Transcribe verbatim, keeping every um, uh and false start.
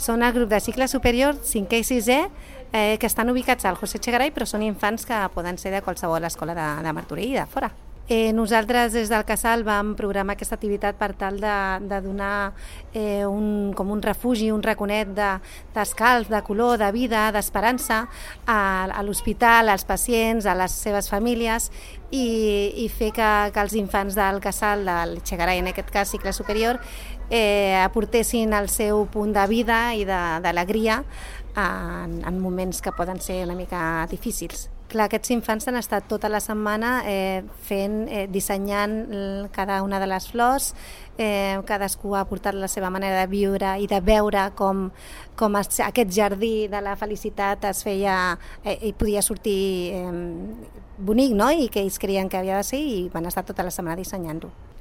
Són el grup de cicle superior, cinquè i sisè, eh, que estan ubicats al José Echegaray, però són infants que poden ser de qualsevol escola de, de Martorell i de fora. Eh, nosaltres des del Casal vam programar aquesta activitat per tal de, de donar eh, un, com un refugi, un raconet d'escalf, de, de color, de vida, d'esperança a, a l'hospital, als pacients, a les seves famílies i, i fer que, que els infants del Casal, del Echegaray, en aquest cas cicle superior, eh, aportessin el seu punt de vida i d'alegria en, en moments que poden ser una mica difícils. Clar, aquests infants han estat tota la setmana eh, fent, eh, dissenyant cada una de les flors, eh, cadascú ha portat la seva manera de viure i de veure com, com es, aquest jardí de la felicitat es feia eh, i podia sortir eh, bonic, no? I que ells creien que havia de ser i van estar tota la setmana dissenyant-ho.